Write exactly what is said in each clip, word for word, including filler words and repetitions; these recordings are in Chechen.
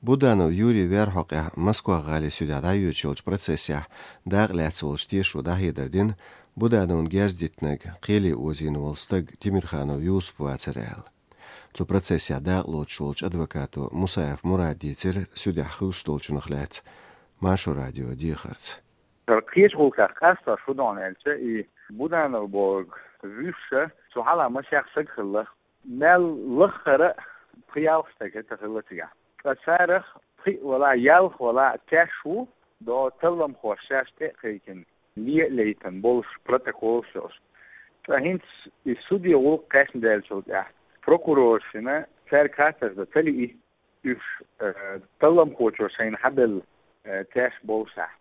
Буданов Юрий вер хьокъехь Москва-гӀалин судехь дӀайоьдуш йолчу процессехь дакъа лаьцна волчу тешо дӀахьедар дина Будановна герз дитинарг кхеле озийна волу стаг Тимирханов Юсуп вацара аьлла. Цу процессехь дакъа лоцуш волчу адвокато Мусаев Мурада дийцира судехь хуьлуш долчунах лаьцна Маршо радион дехарца. Кхечу гӀуллакхех къастош хӀун ду аьлча, и Буданов бохург вуьйш, цу хьалха масех стаг хилла. Мел лаххара пхи-ялх стаг хӀетта хилла цигахь. Ткъа царах пхиъ валахь, ялх валахь теш ву, до талламхоша шаьш тӀе а кхайкхина, ле а лейтина болуш протоколаш йолуш. Ткъа хӀинца и суде гӀуллакх кхаьчна даьллачул тӀаьхьа прокуроршна цаьрга хаттарш дан ца лиъна, уьш, э, талламхочо шайна хьабелла, э, теш болушехь.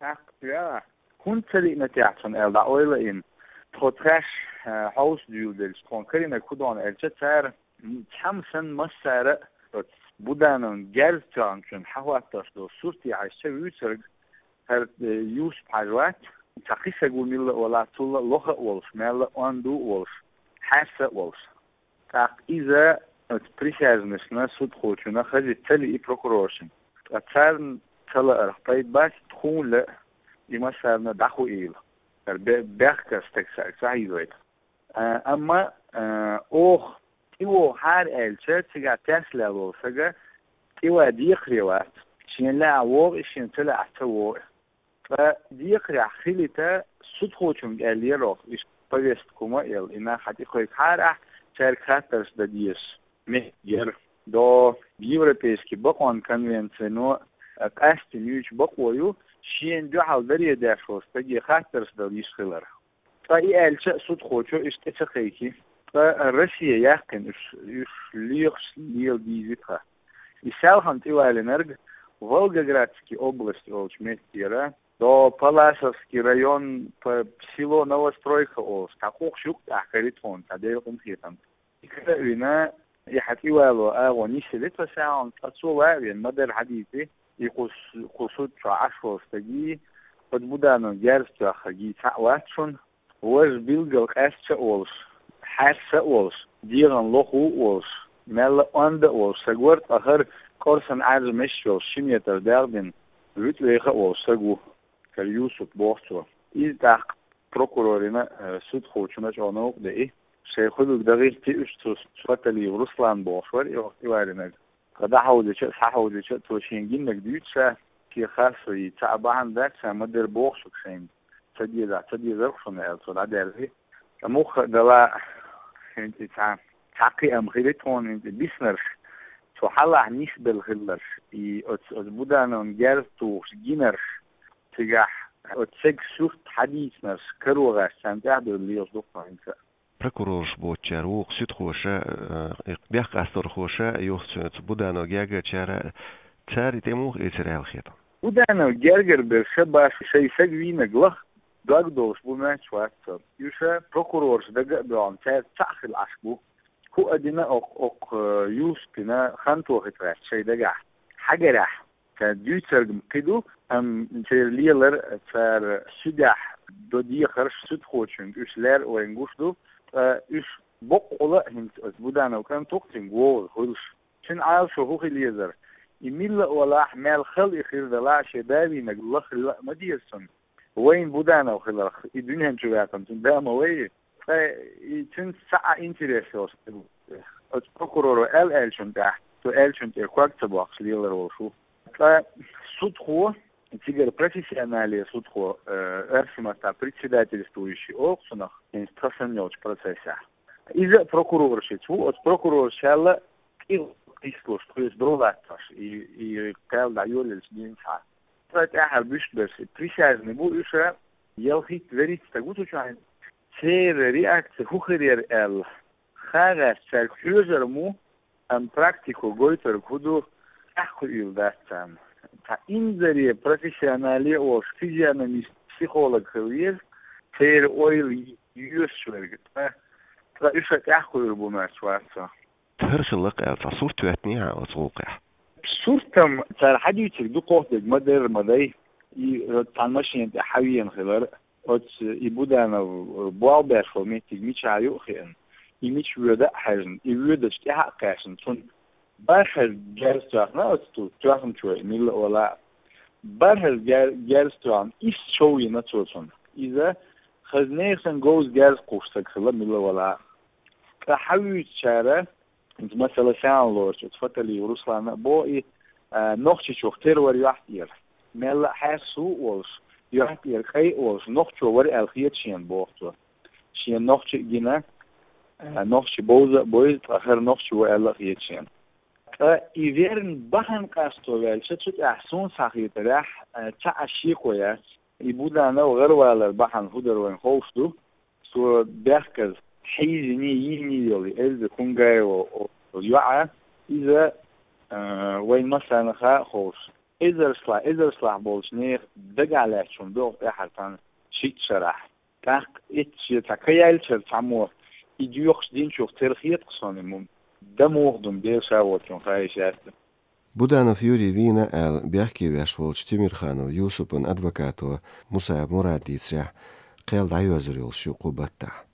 ТӀаккха цара, хӀунда ца лиъна техьа цунна аьлла, дӀа ойла а йина, тхо тхаьш, э, хьовса дуьйладелча, тхуна карийнарг хӀун ду аьлча, цара, м, цхьамма санна массара а оцу Будановн герз тоьхначун хьахӀоттош долу сурте хьаьжча вуьйцург хӀара, э, Юсуп-Хьаьжа вац, цхьа кхин стаг ву милла а валахь, цул а лоха а волуш, мелла а онда а волуш, хьаьрса а волуш. ТӀаккха иза оцу присяжнашна, судхочунна хаза ца лиъна прокуроршна. Ткъа царна ца лаарх пайда бац тхуна а, и массарна а дӀахоуьйтийла. ХӀара бе-, бехкара стаг цаьрга ца хьийзойта. А, амма, а, оха тӀевогӀу хьара аьлча, цигахь теш лелла волу стага тӀеван декхаре вац. Шена лаахь вогӀу и, шена ца лаахь ца вогӀу. Ткъа декхарехь хилийта, судхочуьнга аьллера оха, иштта повестка хӀума а елла, и нах хьан тӀе кхойкхахьара ахь, цаьрга хаттарш дан дезаш меттиг яра. До Европейский бакъонан конвенцино, а, къаьстина юьйцу бакъо ю, шена дуьхьал даре деш волу стаге хаттарш дала йиш хилар. Ткъа и аьлча а судхочо иштта тӀе ца кхайкхи. Ткъа Россия яьккхина уьш, уьш лехаш лела дийзи тхан. И селхана тӀевалинарг Волгоградский область олучу меттера, до Палласовский район, п-, село Новостройка олуш, цхьа къухаш юккъехь карий тхуна, цхьа Делан къинхетамца. И кара а вина, и хьан тӀевало агӀо нисъели тхан селхана, ткъа цо ван а вина, ма-дарра хьадийци, и кху с-, кху суд чохь Ӏаш волу стаге, оцу Будановн герз тоьхнарг цхьаъ вац шуна, важа билггал къаьсташ а волуш, хьаьрса а волуш, дегӀан лохо а волуш, мелла а онда а волуш стаг вара, ткъа хӀара кӀорсан Ӏаьржа меш йолуш, ши метр дегӀ дина, вуьтӀавеха а волуш стаг ву, хӀара Юсуп боху цо. Иза тӀаккха прокурорна а, э, судхочунна а чӀогӀа новкъа деи, шайн хуьлург дан гӀиртина уьш цу, цу Фаталиев Руслан бохуш вара и оха тӀевалинарг. Ткъа дӀахьовзича а, схьахьовзича а, цо шена гинарг дуьйцуш ша, шен харцо йийца цхьа а бахьана дац ша, ма-дарра боху шуьга шайна, ца дезахь, ца дезарх шуна аьлла, цо дӀадаьрзи. Ткъа мухха а дала, хӀинца и цхьа, цхьа кхиам хили тхуна, хӀинца и биснарш, цу хьалахь нисбелла хилларш, и оцу, оцу Будановн герз тухуш гинарш, цигахь оцу стеган сурт хьадийцинарш, каро гӀерташ царна тӀаьхьадевлла лелаш ду тхо хӀинца а. Прокурораш боцучара вукху суьдхоша, э, бехкъасторхоша, юха цу, цу Буданов гергарчара, цара и тӀе муха эцира аьлла хета? Буданов гергара берш баш шайн саг вийнарг лаха дог долуш бу моьттуш вац цо. Уьш прокурораш дага а боьгӀна, цаьрца цхьаъ хила Ӏаш бу. ХӀуъа дина окх-, окх-, э, Юсупна хантохийта гӀерташ шайн дагахь. Хьагарехь. Цара дуьйцург-м кхин ду, амма церан лелар, цара суьдехь до дехарш суьдхочуьнга уьш лер а вайна гуш ду, ткъа уьш боккъала а хӀинца оцу Буданов кӀант ву-кх цуьнга вогӀуш хуьлуш. Цуьнан Ӏалашо хӀун хила езара? И милла а валахь, мел хала и хир далахь а, шен да вийнарг лаха хила а ма деза цунна. Вайна Буданов хиларх, и дуьнен чу ваьккхина цуьнан да ма вай. Ткъа и цуьнца цхьа а интерес йолуш стаг ву. Оцу прокуроро аьлла аьллачунна тӀехь, цо аьллачунна тӀера ког ца боккхуш лелар волуш ву. Ткъа судхо, цигара профессионале судхо, э, оьрсийн маттахь председательствующий олу-кх цунах, хӀинца тхан санна йолчу процессехь. Иза а прокуроршца ву, оцу прокурорша аьлла, тӀе кхийсалуш, тхоьца дов латтош, и, и кхел дӀайолаелча дийнахь. Ткъа тӀаьххьара буьйш берш, и присяжный бу уьш, ялхитта-вуьрхӀитта стаг ву цу чохь. Церан реакция хӀун хир яра аьлла, хан гӀерташ цаьрга хьоьжур ма ву, амма практико гойтург хӀун ду, тӀаьхьакхуьийла дац царна. Цхьа инзаре профессионале а волуш, физиономист, психолог хила веза, церан ойла йоьшуш верг. Ткъа, ткъа уьш а тӀаьхьакхуьур бу моьттуш вац со. ХӀара хилла-кх аьлла, цхьа сурт хӀоьттиний хьан оцу гӀуллакхехь? Сурт-м цара хьадуьйцург ду-кх дерг, ма-дарра, ма дай. И цхьана машена тӀехь хьавеана хилар, оцу и Буданов болх беш волу меттиг мичахь ю а хиъна, и мича воьду а хьаьжна, и воьдучу тӀаьхьа а кхаьчна, цунна БархӀаза герз тоьхна оцу тоьхначо, милла а вала. БархӀаза гер-, герз тоьхна, исс чов йина цо цунна. Иза хаза нехан говза герз кхуссург хилла милла а вала. Ткъа хьавуьйцучара, иза масала сяна лоруш, оцу Фаталиев Руслана а боху и, а, Нохчийчух тера вара йохьтӀера. Мелла а хьаьрса ву а волуш, йохьтӀера кӀай а волуш, нохчо вара аьлла хета шена боху цо. Шена нохчи а гина, а, нохчи бовза а бойза, ткъа хӀара нохчи ву аьлла а хета шена. Ткъа и верна бахьана къасто ваьлча, цу тӀехь суна схьахетарехь, а, цхьа а шеко яц. И Буданов гӀаравалар бахьана хӀун дара вайна ховш ду. Цо бехказа хьийзиний, йийний йолу Эльза Кунгаева йоӀа, иза, а, вайн массарна а ховш, эзаршлахь, эзаршлахь болчу нехан дагахь лаьтташ хӀума догӀу тӀаьхьара цхьана шиъ шарахь. ТӀаккха эцца шен цхьа ка яьллачара цхьаммо и доьхуш динчух тера хета-кх суна и муха, дан муха ду-м Дела ша воцчунна хаийша яц. Буданов Юрий вийна аьлла бехке веш волчу Тимирханов Юсупан адвокато Мусаев Мурада дийцарехь, кхел дӀайоьзур йолуш ю кху баттахь.